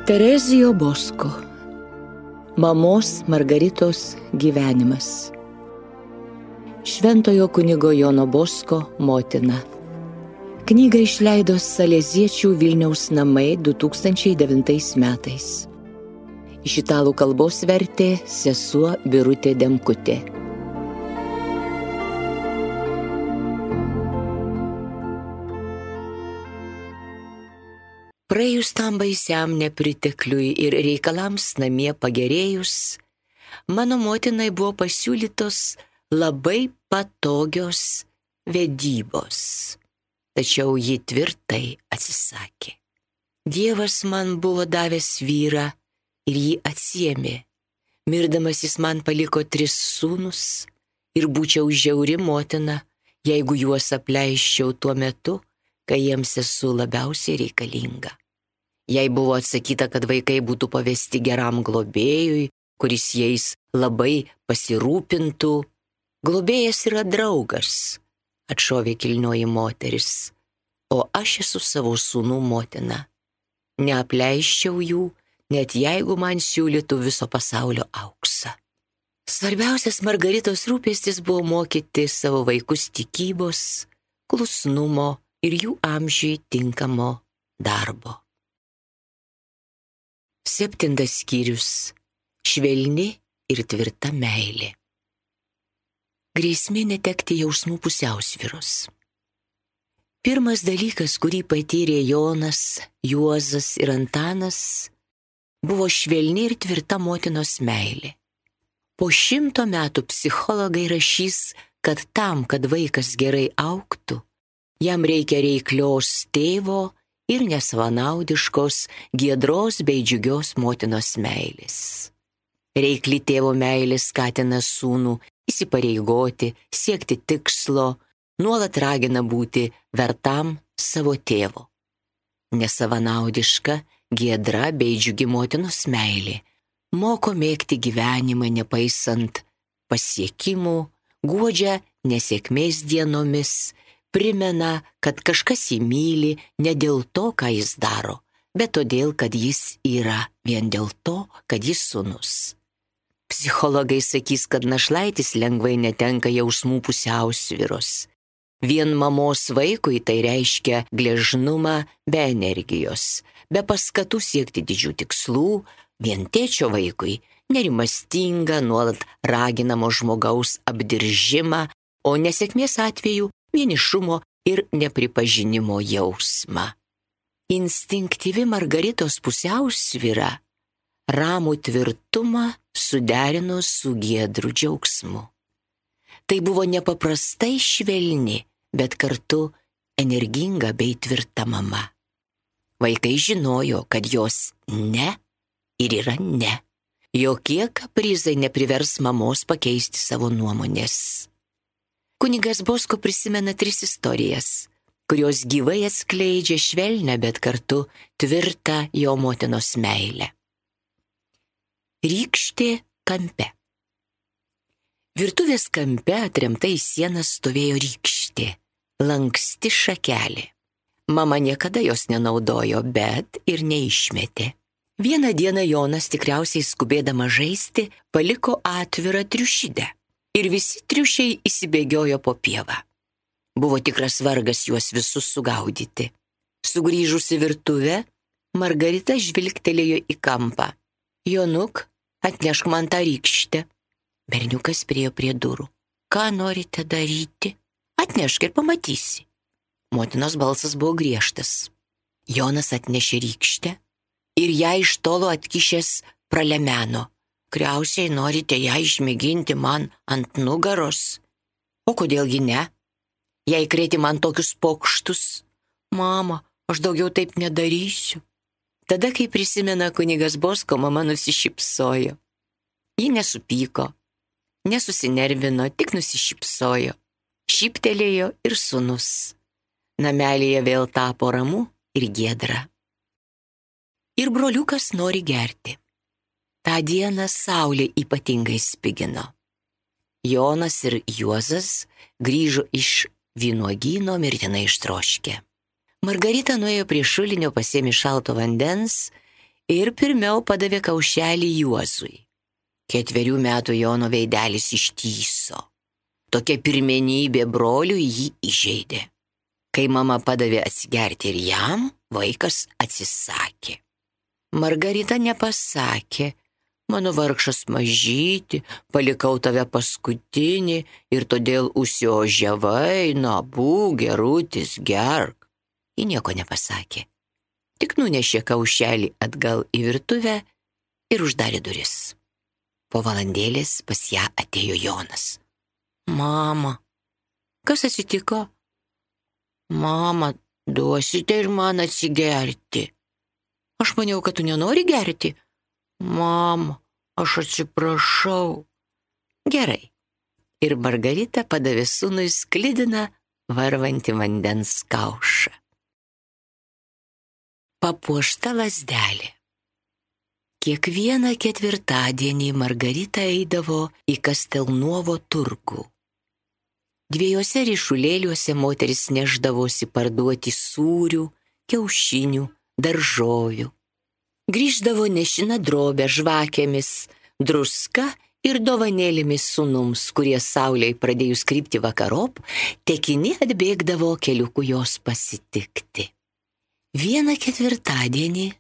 Terezijo Bosko. Mamos Margaritos gyvenimas. Šventojo kunigo Jono Bosko motina. Knygą išleido Saleziečių Vilniaus namai 2009 metais. Iš italų kalbos vertė sesuo Birutė Demkutė. Praėjus tam baisiam nepritekliui ir reikalams namie pagerėjus, mano motinai buvo pasiūlytos labai patogios vedybos, tačiau ji tvirtai atsisakė. Dievas man buvo davęs vyrą ir jį atsiėmė. Mirdamas jis man paliko 3 sūnus ir būčiau žiauri motina, jeigu juos apleiščiau tuo metu, kai jiems esu labiausiai reikalinga. Jei buvo atsakyta, kad vaikai būtų pavesti geram globėjui, kuris jais labai pasirūpintų. Globėjas yra draugas, atšovė kilnioji moteris, o aš esu savo sūnų motina. Neapleiščiau jų, net jeigu man siūlytų viso pasaulio auksą. Svarbiausias Margaritos rūpestis buvo mokyti savo vaikus tikybos, klusnumo ir jų amžiui tinkamo darbo. 7 skyrius. Švelni ir tvirta meilė. Grėsmė netekti jausmų pusiausvyros. Pirmas dalykas, kurį patyrė Jonas, Juozas ir Antanas, buvo švelni ir tvirta motinos meilė. Po 100 metų psichologai rašys, kad tam, kad vaikas gerai augtų, jam reikia reiklios tėvo ir nesavanaudiškos, giedros bei džiugios motinos meilės. Reikli tėvo meilė skatina sūnų įsipareigoti, siekti tikslo, nuolat ragina būti vertam savo tėvo. Nesavanaudiška, giedra bei džiugi motinos meilė moko mėgti gyvenimą nepaisant pasiekimų, guodžia nesėkmės dienomis, primena, kad kažkas jį myli ne dėl to, ką jis daro, bet todėl, kad jis yra, vien dėl to, kad jis sūnus. Psichologai sakys, kad našlaitis lengvai netenka jausmų pusiausvyros. Vien mamos vaikui tai reiškia gležnumą be energijos, be paskatų siekti didžių tikslų, vien tėčio vaikui nerimastinga, nuolat raginamo žmogaus apdiržimą, o nesėkmės atveju vienišumo ir nepripažinimo jausmą. Instinktyvi Margaritos pusiausvyra ramų tvirtumą suderino su giedru džiaugsmu. Tai buvo nepaprastai švelni, bet kartu energinga bei tvirta mama. Vaikai žinojo, kad jos ne ir yra ne. Jokie kaprizai neprivers mamos pakeisti savo nuomonės. Kunigas Bosko prisimena 3 istorijas, kurios gyvai atskleidžia švelnę, bet kartu tvirtą jo motinos meilę. Rykštė kampe. Virtuvės kampe atremta į sieną stovėjo rykštė, lanksti šakelė. Mama niekada jos nenaudojo, bet ir neišmetė. Vieną dieną Jonas, tikriausiai skubėdama žaisti, paliko atvirą triušidę. Ir visi triušiai įsibėgiojo po pievą. Buvo tikras vargas juos visus sugaudyti. Sugrįžusi virtuvę, Margarita žvilgtelėjo į kampą. Jonuk, atnešk man tą rykštę. Berniukas priėjo prie durų. Ką norite daryti? Atnešk ir pamatysi. Motinos balsas buvo griežtas. Jonas atnešė rykštę ir ją iš tolo atkišęs pralemeno. Kriausiai norite ją išmėginti man ant nugaros? O kodėlgi ne? Jei krėti man tokius pokštus? Mama, aš daugiau taip nedarysiu. Tada, kai prisimena kunigas Bosko, mama nusišypsojo. Ji nesupyko, nesusinervino, tik nusišypsojo. Šyptelėjo ir sūnus. Namelėje vėl tapo ramu ir giedra. Ir broliukas nori gerti. Ta dieną saulė ypatingai spigino. Jonas ir Juozas grįžo iš vynuogyno mirtinai ištroškę. Margarita nuėjo prie šulinio, pasėmė šalto vandens ir pirmiau padavė kaušelį Juozui. 4 metų Jono veidelis ištįso. Tokia pirmenybė broliui jį įžeidė. Kai mama padavė atsigerti ir jam, vaikas atsisakė. Margarita nepasakė: mano vargšas mažyti, palikau tave paskutinį ir todėl užsiožiavai, na būk gerutis, gerk. Ji nieko nepasakė, tik nunešė kaušelį atgal į virtuvę ir uždarė duris. Po valandėlės pas ją atėjo Jonas. Mama, kas atsitiko? Mama, duosite ir man atsigerti. Aš maniau, kad tu nenori gerti. Mama, aš atsiprašau. Gerai. Ir Margarita padavė sūnui sklidiną varvantį vandens kaušą. Papuošta lazdelė. Kiekvieną ketvirtadienį Margarita eidavo į Kastelnuovo turgų. 2 ryšulėliuose moteris neždavosi parduoti sūrių, kiaušinių, daržovių. Grįždavo nešina drobę žvakėmis, druska ir dovanėlėmis sūnums, kurie saulei pradėjus krypti vakarop, tekini atbėgdavo keliuku jos pasitikti. Vieną ketvirtadienį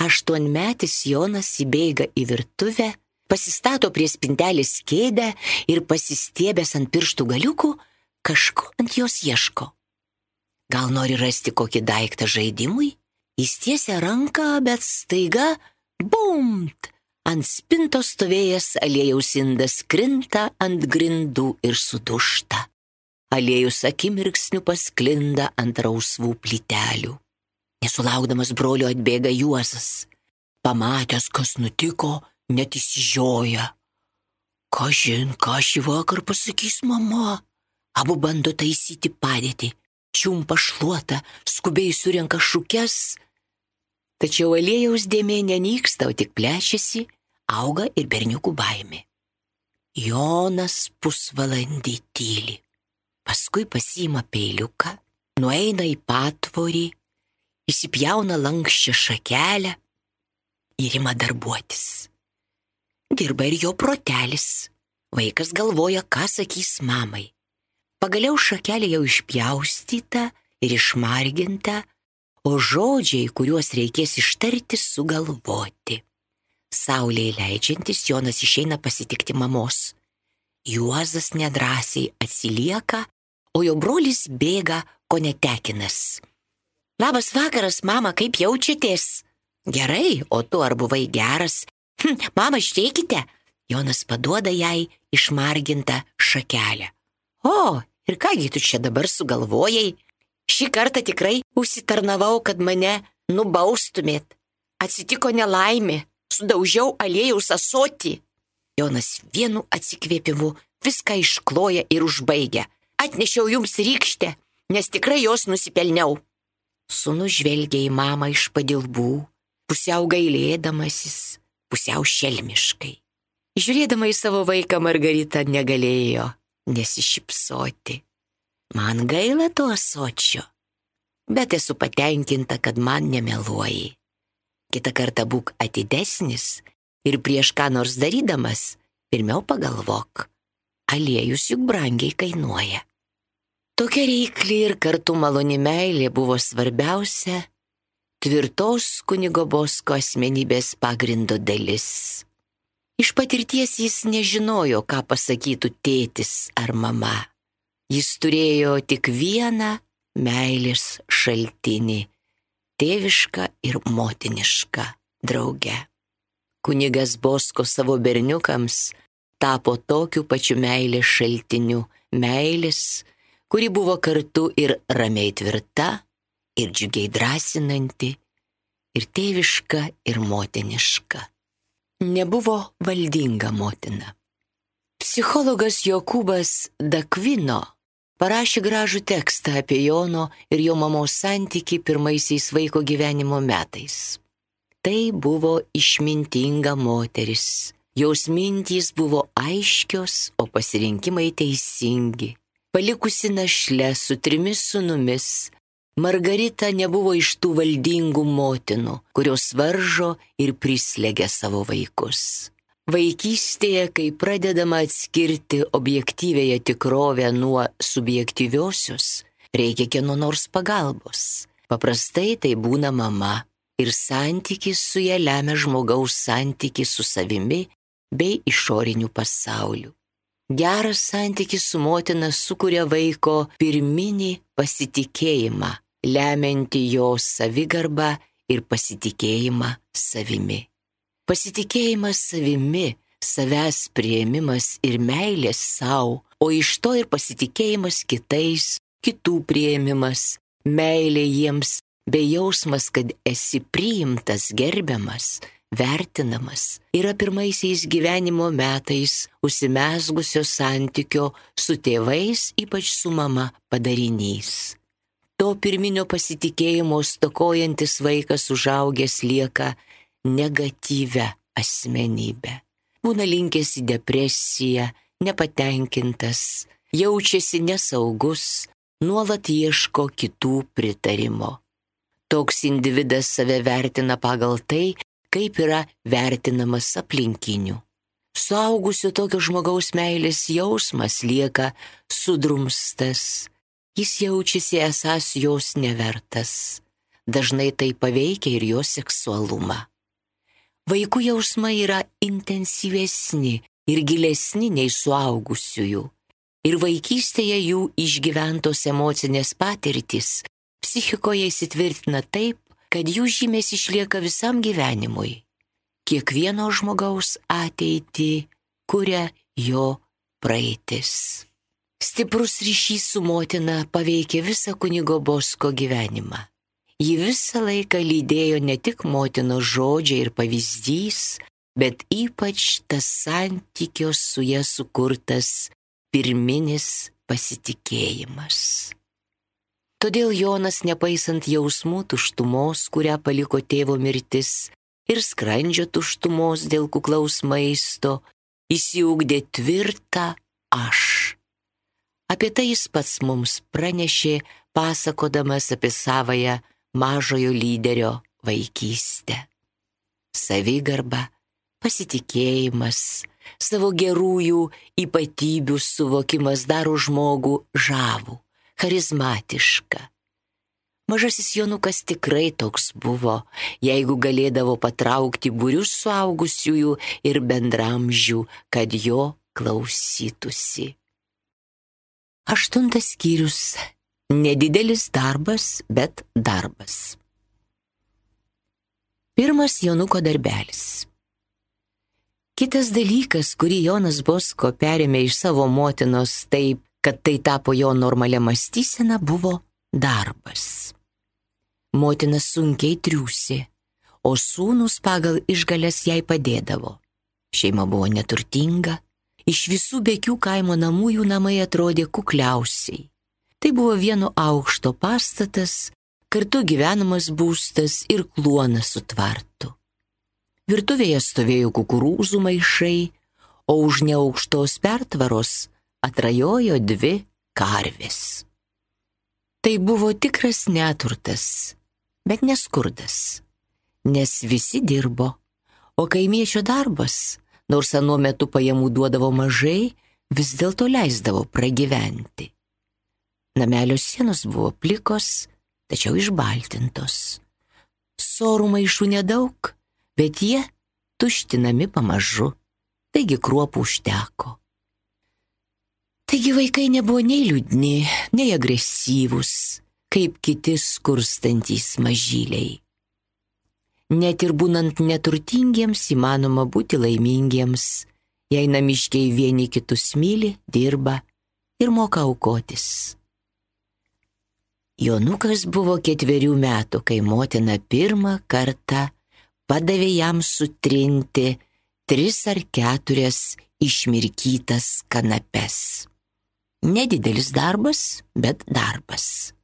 8-metis Jonas įbėga į virtuvę, pasistato prie spintelės kėdę ir pasistiebęs ant pirštų galiukų, kažko ant jos ieško. Gal nori rasti kokį daiktą žaidimui? Jis tiesia ranką, bet staiga bumt! Ant spintos stovėjęs aliejaus indas krinta ant grindų ir sudūžta. Aliejus akimirksniu pasklinda ant rausvų plytelių. Nesulaukdamas brolio atbėga Juozas. Pamatęs, kas nutiko, net įsižioja. Kažin, ką šį vakar pasakys mama? Abu bando taisyti padėtį. Čiumpa šluotą, skubiai surenka šukes. Tačiau aliejaus dėmė nenyksta, o tik plečiasi, auga ir berniukų baimė. Jonas pusvalandį tyli. Paskui pasiima peiliuką, nueina į patvorį, įsipjauna lankščią šakelę ir ima darbuotis. Dirba ir jo protelis. Vaikas galvoja, ką sakys mamai. Pagaliau šakelė jau išpjaustyta ir išmarginta, o žodžiai, kuriuos reikės ištarti, sugalvoti. Saulei leidžiantis Jonas išeina pasitikti mamos. Juozas nedrąsiai atsilieka, o jo brolis bėga ko netekinas. Labas vakaras, mama, kaip jaučiatės? Gerai, o tu ar buvai geras? Mama, išteikite. Jonas paduoda jai išmargintą šakelę. O, ir kągi tu čia dabar sugalvojai? Šį kartą tikrai užsitarnavau, kad mane nubaustumėt. Atsitiko nelaimė, sudaužiau aliejaus ąsotį. Jonas vienu atsikvėpimu viską iškloja ir užbaigia. Atnešiau jums rykštę, nes tikrai jos nusipelniau. Sūnus žvelgia į mamą iš padilbų, pusiau gailėdamasis, pusiau šelmiškai. Žiūrėdama į savo vaiką, Margarita negalėjo nesišypsoti. Man gaila to ąsočio, bet esu patenkinta, kad man nemeluoji. Kitą kartą būk atidesnis ir prieš ką nors darydamas, pirmiau pagalvok. Aliejus juk brangiai kainuoja. Tokia reikli ir kartu maloni meilė buvo svarbiausia tvirtos kunigo Bosko asmenybės pagrindo dalis. Iš patirties jis nežinojo, ką pasakytų tėtis ar mama. Jis turėjo tik vieną meilės šaltinį – tėvišką ir motinišką draugę. Kunigas Bosko savo berniukams tapo tokiu pačiu meilės šaltiniu, meilės, kuri buvo kartu ir ramiai tvirta, ir džiugiai drąsinanti, ir tėviška, ir motiniška. Nebuvo valdinga motina. Psichologas Jokūbas Dakvino parašė gražų tekstą apie Jono ir jo mamos santykį pirmaisiais vaiko gyvenimo metais. Tai buvo išmintinga moteris. Jos mintys buvo aiškios, o pasirinkimai teisingi. Palikusi našlę su 3 sūnumis, Margarita nebuvo iš tų valdingų motinų, kurios varžo ir prislegia savo vaikus. Vaikystėje, kai pradedama atskirti objektyvėje tikrovę nuo subjektyviosios, reikia kieno nors pagalbos. Paprastai tai būna mama ir santykis su ja lemia žmogaus santykį su savimi bei išoriniu pasauliu. Geras santykis su motina sukuria vaiko pirminį pasitikėjimą, lemianti jo savigarbą ir pasitikėjimą savimi. Pasitikėjimas savimi, savęs priėmimas ir meilės savo, o iš to ir pasitikėjimas kitais, kitų priėmimas, meilė jiems, bei jausmas, kad esi priimtas, gerbiamas, vertinamas, yra pirmaisiais gyvenimo metais užsimezgusio santykio su tėvais, ypač su mama, padarinys. To pirminio pasitikėjimo stokojantis vaikas užaugęs lieka negatyvia asmenybė. Būna linkęs į depresiją, nepatenkintas, jaučiasi nesaugus, nuolat ieško kitų pritarimo. Toks individas save vertina pagal tai, kaip yra vertinamas aplinkinių. Suaugusio tokio žmogaus meilės jausmas lieka sudrumstas. Jis jaučiasi esąs jos nevertas. Dažnai tai paveikia ir jo seksualumą. Vaikų jausmai yra intensyvesni ir gilesni nei suaugusiųjų. Ir vaikystėje jų išgyventos emocinės patirtys psichikoje įsitvirtina taip, kad jų žymės išlieka visam gyvenimui. Kiekvieno žmogaus ateitį kuria jo praeitis. Stiprus ryšys su motina paveikė visą kunigo Bosko gyvenimą. Ji visą laiką lydėjo ne tik motinos žodžiai ir pavyzdys, bet ypač tas santykio su ja sukurtas pirminis pasitikėjimas. Todėl Jonas, nepaisant jausmų tuštumos, kurią paliko tėvo mirtis, ir skrandžio tuštumos dėl kuklaus maisto, įsiugdė tvirtą aš. Apie tai jis pats mums pranešė, pasakodamas apie savąją mažojo lyderio vaikystę. Savigarba, pasitikėjimas, savo gerųjų ypatybių suvokimas daro žmogų žavų, charizmatiška. Mažasis Jonukas tikrai toks buvo, jeigu galėdavo patraukti būrius suaugusiųjų ir bendramžių, kad jo klausytųsi. 8 skyrius. Nedidelis darbas, bet darbas. 1 Jonuko darbelis. Kitas dalykas, kurį Jonas Bosko perėmė iš savo motinos taip, kad tai tapo jo normalia mąstysena, buvo darbas. Motina sunkiai triūsė, o sūnus pagal išgales jai padėdavo. Šeima buvo neturtinga, iš visų bekių kaimo namų jų namai atrodė kukliausiai. Tai buvo vieno aukšto pastatas, kartu gyvenamas būstas ir kluonas su tvartu. Virtuvėje stovėjo kukurūzų maišai, o už neaukštos pertvaros atrajojo 2 karvės. Tai buvo tikras neturtas, bet neskurdas, nes visi dirbo, o kaimiečio darbas, nors anuo metu pajamų duodavo mažai, vis dėlto leisdavo pragyventi. Namelio sienos buvo plikos, tačiau išbaltintos. Sorų maišų nedaug, bet jie tuštinami pamažu, taigi kruopų užteko. Taigi vaikai nebuvo nei liūdni, nei agresyvūs, kaip kiti skurstantys mažyliai. Net ir būnant neturtingiems įmanoma būti laimingiems, jei namiškiai vieni kitus myli, dirba ir moka aukotis. Jonukas buvo 4 metų, kai motina pirmą kartą padavė jam sutrinti 3 ar 4 išmirkytas kanapes. Nedidelis darbas, bet darbas.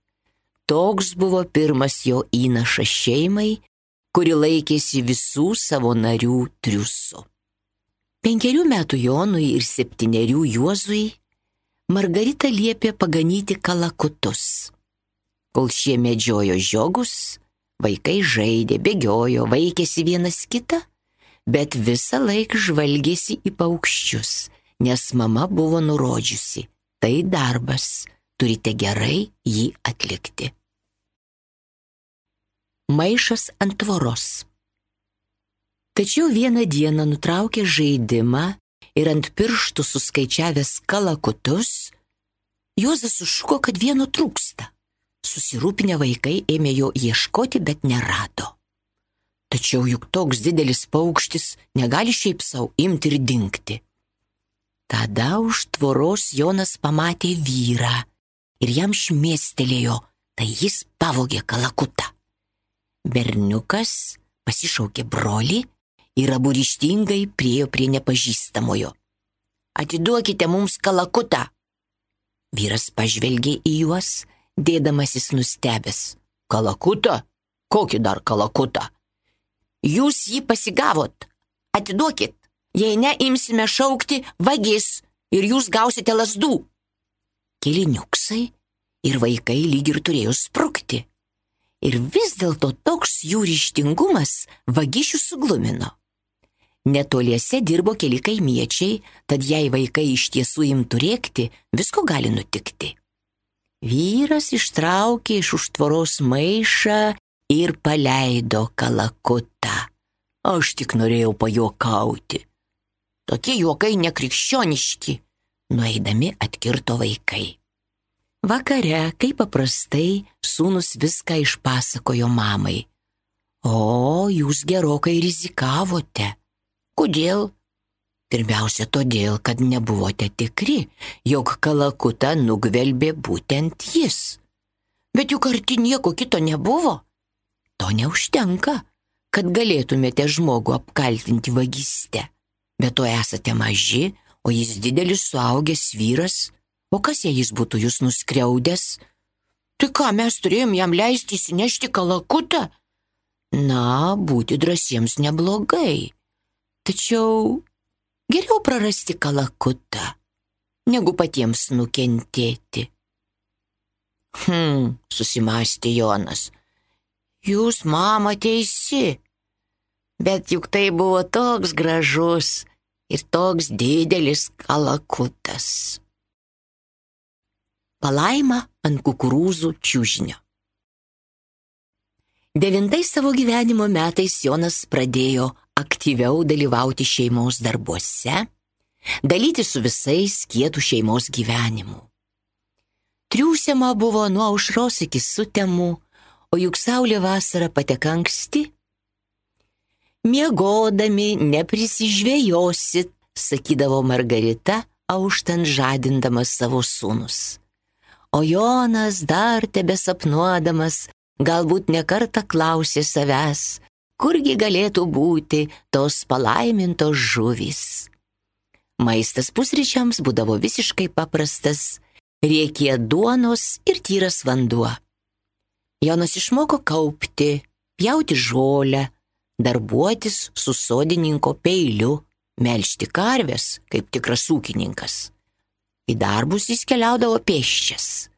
Toks buvo pirmas jo įnašas šeimai, kuri laikėsi visų savo narių triūsu. 5 metų Jonui ir 7 Juozui Margarita liepė paganyti kalakutus. Kol šie medžiojo žiogus, vaikai žaidė, bėgiojo, vaikėsi vienas kitą, bet visą laiką žvalgėsi į paukščius, nes mama buvo nurodžiusi, tai darbas, turite gerai jį atlikti. Maišas ant tvoros. Tačiau vieną dieną nutraukė žaidimą ir ant pirštų suskaičiavęs kalakutus, Juozas sušuko, kad vieno trūksta. Susirūpinę vaikai ėmė jo ieškoti, bet nerado. Tačiau juk toks didelis paukštis negali šiaip sau imti ir dingti. Tada už tvoros Jonas pamatė vyrą ir jam šmėstelėjo, tai jis pavogė kalakutą. Berniukas pasišaukė brolį ir abu ryžtingai priėjo prie nepažįstamojo. Atiduokite mums kalakutą. Vyras pažvelgė į juos, dėdamasis nustebęs. Kalakutą? Kokį dar kalakutą? Jūs jį pasigavot. Atiduokit. Jei ne, imsime šaukti vagis ir jūs gausite lazdų. Keli niuksai ir vaikai lyg ir turėjo sprukti. Ir vis dėlto toks jų ryžtingumas vagišių suglumino. Netoliese dirbo keli kaimiečiai, tad jei vaikai iš tiesų imtų rėkti, visko gali nutikti. Vyras ištraukė iš už tvoros maišą ir paleido kalakutą. Aš tik norėjau pajuokauti. Tokie juokai nekrikščioniški, nueidami atkirto vaikai. Vakare, kaip paprastai, sūnus viską išpasakojo mamai. O, jūs gerokai rizikavote. Kodėl? Pirmiausia, todėl, kad nebuvote tikri, jog kalakutą nugvelbė būtent jis. Bet juk arti nieko kito nebuvo. To neužtenka, kad galėtumėte žmogų apkaltinti vagyste. Bet to esate maži, o jis didelis suaugęs vyras. O kas jei jis būtų jūs nuskriaudęs? Tai ką mes turėjom jam leisti įsinešti kalakutą? Na, būti drąsiems neblogai. Tačiau geriau prarasti kalakutą, negu patiems nukentėti. Susimąstė Jonas. Jūs, mama, teisi. Bet juk tai buvo toks gražus ir toks didelis kalakutas. Palaima ant kukurūzų čiužinio. 9 savo gyvenimo metais Jonas pradėjo aktyviau dalyvauti šeimos darbuose, dalyti su visais kietų šeimos gyvenimu. Triūsiama buvo nuo aušros iki sutemų, o juk saulė vasarą pateka anksti. Miegodami neprisižvėjosit, sakydavo Margarita, auštant žadindamas savo sūnus. O Jonas dar tebesapnuodamas, galbūt nekartą klausė savęs, kurgi galėtų būti tos palaimintos žuvys. Maistas pusryčiams būdavo visiškai paprastas, riekė duonos ir tyras vanduo. Jonas išmoko kaupti, pjauti žolę, darbuotis su sodininko peiliu, melžti karves kaip tikras ūkininkas. Į darbus jis keliaudavo pėsčias.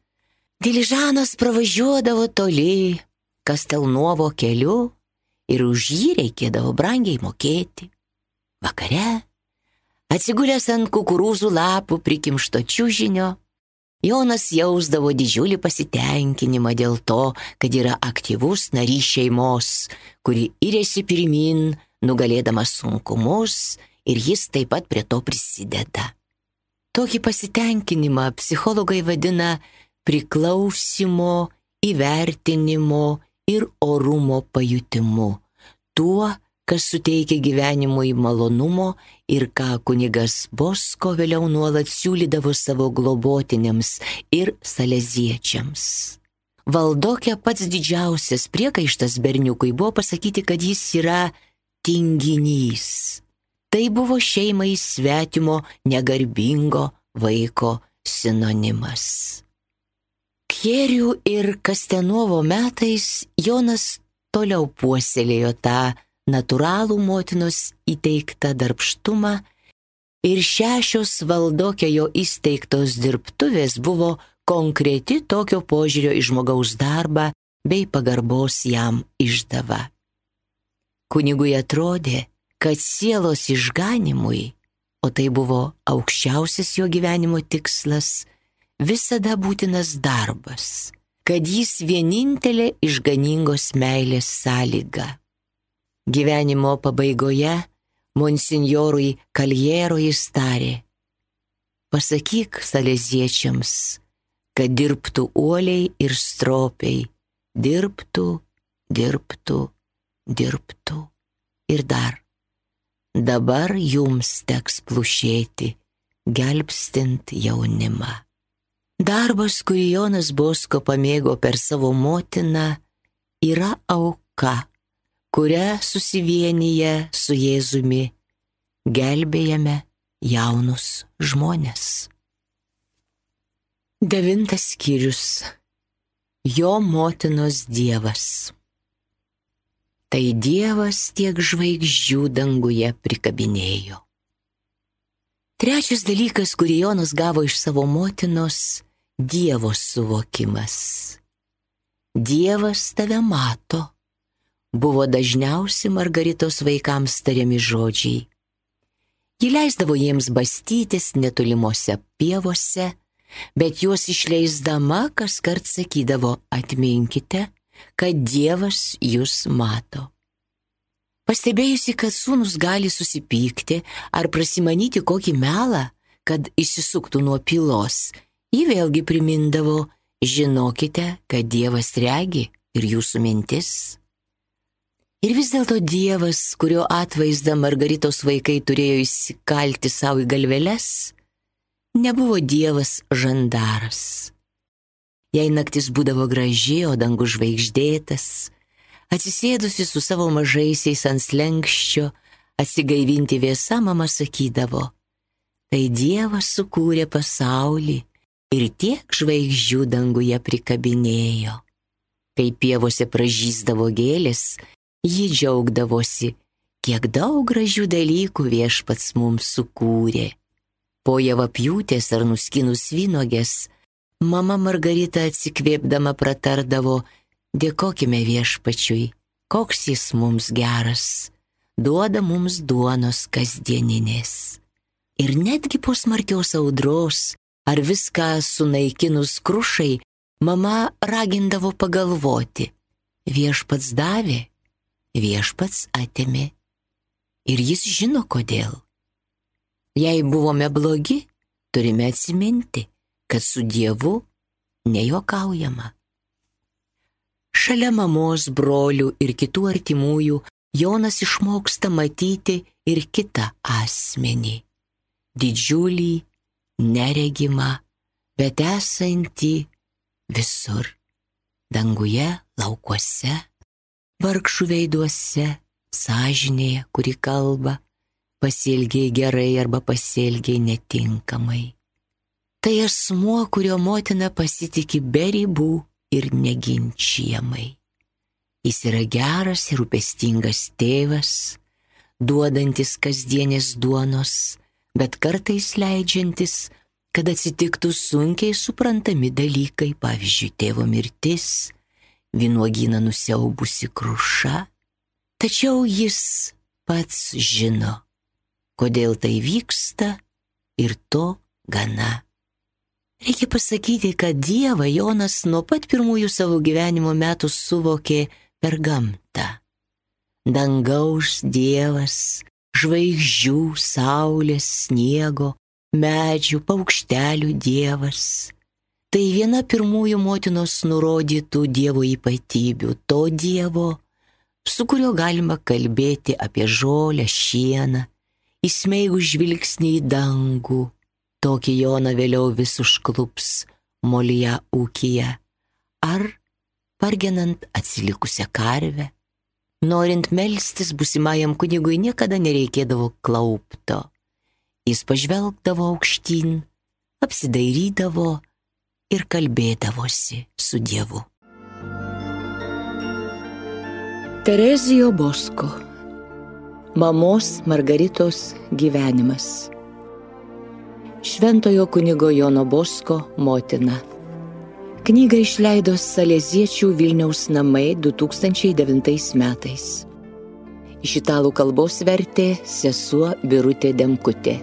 Diližanas pravažiuodavo toli, Kastelnuovo keliu, ir už jį reikėdavo brangiai mokėti. Vakare, atsigulęs ant kukurūzų lapų prikimšto čiužinio, Jonas jausdavo didžiulį pasitenkinimą dėl to, kad yra aktyvus narys šeimos, kuri iriasi pirmyn, nugalėdama sunkumus, ir jis taip pat prie to prisideda. Tokį pasitenkinimą psichologai vadina priklausimo, įvertinimo ir orumo pajutimu, tuo, kas suteikia gyvenimui malonumo ir ką kunigas Bosko vėliau nuolat siūlydavo savo globotiniams ir saleziečiams. Valdokė pats didžiausias priekaištas berniukui buvo pasakyti, kad jis yra tinginys. Tai buvo šeimai svetimo negarbingo vaiko sinonimas. Kjerių ir Kastelnuovo metais Jonas toliau puoselėjo tą natūralų motinos įteiktą darbštumą ir 6 Valdokio jo įsteigtos dirbtuvės buvo konkreti tokio požiūrio į žmogaus darbą bei pagarbos jam išdava. Kunigui atrodė, kad sielos išganimui, o tai buvo aukščiausias jo gyvenimo tikslas, visada būtinas darbas, kad jis vienintelė išganingos meilės sąlyga. Gyvenimo pabaigoje monsinjorui Kaljero jis tarė: pasakyk saleziečiams, kad dirbtų uoliai ir stropiai, dirbtų, dirbtų, dirbtų. Ir dar, dabar jums teks plušėti, gelbstint jaunimą. Darbas, kurį Jonas Bosko pamėgo per savo motiną, yra auka, kurią susivienyje su Jėzumi gelbėjame jaunus žmones. 9 skyrius. Jo motinos Dievas. Tai Dievas tiek žvaigždžių danguje prikabinėjo. Trečias dalykas, kurį Jonas gavo iš savo motinos, Dievo suvokimas. Dievas tave mato, buvo dažniausi Margaritos vaikams tariami žodžiai. Ji leisdavo jiems bastytis netolimose pievose, bet juos išleisdama kaskart sakydavo: atminkite, kad Dievas jūs mato. Pastebėjusi, kad sūnus gali susipykti ar prasimanyti kokį melą, kad išsisuktų nuo pylos, ji vėlgi primindavo: žinokite, kad Dievas regi ir jūsų mintis. Ir vis dėlto Dievas, kurio atvaizdą Margaritos vaikai turėjo įsikalti savo į galveles, nebuvo Dievas žandaras. Jei naktis būdavo graži, o dangus žvaigždėtas, atsisėdusi su savo mažaisiais ant slenkščio, atsigaivinti vėsa, mama sakydavo: tai Dievas sukūrė pasaulį ir tiek žvaigždžių danguje prikabinėjo. Kai pievose pražysdavo gėlės, ji džiaugdavosi, kiek daug gražių dalykų viešpats mums sukūrė. Po javapjūtės ar nuskinus vynuogės, mama Margarita atsikvėpdama pratardavo: dėkokime viešpačiui, koks jis mums geras, duoda mums duonos kasdieninės. Ir netgi po smarkios audros ar viską sunaikinus krušai, mama ragindavo pagalvoti: viešpats davė, viešpats atėmė. Ir jis žino kodėl. Jei buvome blogi, turime atsiminti, kad su Dievu nejuokaujama. Šalia mamos, brolių ir kitų artimųjų Jonas išmoksta matyti ir kitą asmenį. Didžiulį, neregimą, bet esantį visur. Danguje, laukuose, vargšų veiduose, sąžinėje, kuri kalba, pasielgiai gerai arba pasielgiai netinkamai. Tai asmuo, kurio motina pasitiki be ribų ir neginčijamai. Jis yra geras ir rūpestingas tėvas, duodantis kasdienės duonos, bet kartais leidžiantis, kad atsitiktų sunkiai suprantami dalykai, pavyzdžiui, tėvo mirtis, vynuogyną nusiaubusi kruša. Tačiau jis pats žino, kodėl tai vyksta, ir to gana. Reikia pasakyti, kad Dievą Jonas nuo pat pirmųjų savo gyvenimo metų suvokė per gamtą. Dangaus Dievas, žvaigždžių, saulės, sniego, medžių, paukštelių Dievas. Tai viena pirmųjų motinos nurodytų Dievo ypatybių, to Dievo, su kuriuo galima kalbėti apie žolę, šieną, įsmeigus žvilgsnį į dangų. Tokį Joną vėliau vis užklups molyje ūkyje, ar pargenant atsilikusią karvę. Norint melstis būsimajam kunigui niekada nereikėdavo klaupto. Jis pažvelgdavo aukštyn, apsidairydavo ir kalbėdavosi su Dievu. Terezijo Bosko. Mamos Margaritos gyvenimas. Šventojo kunigo Jono Bosko motina. Knygą išleido Saleziečių Vilniaus namai 2009 metais. Iš italų kalbos vertė sesuo Birutė Demkutė.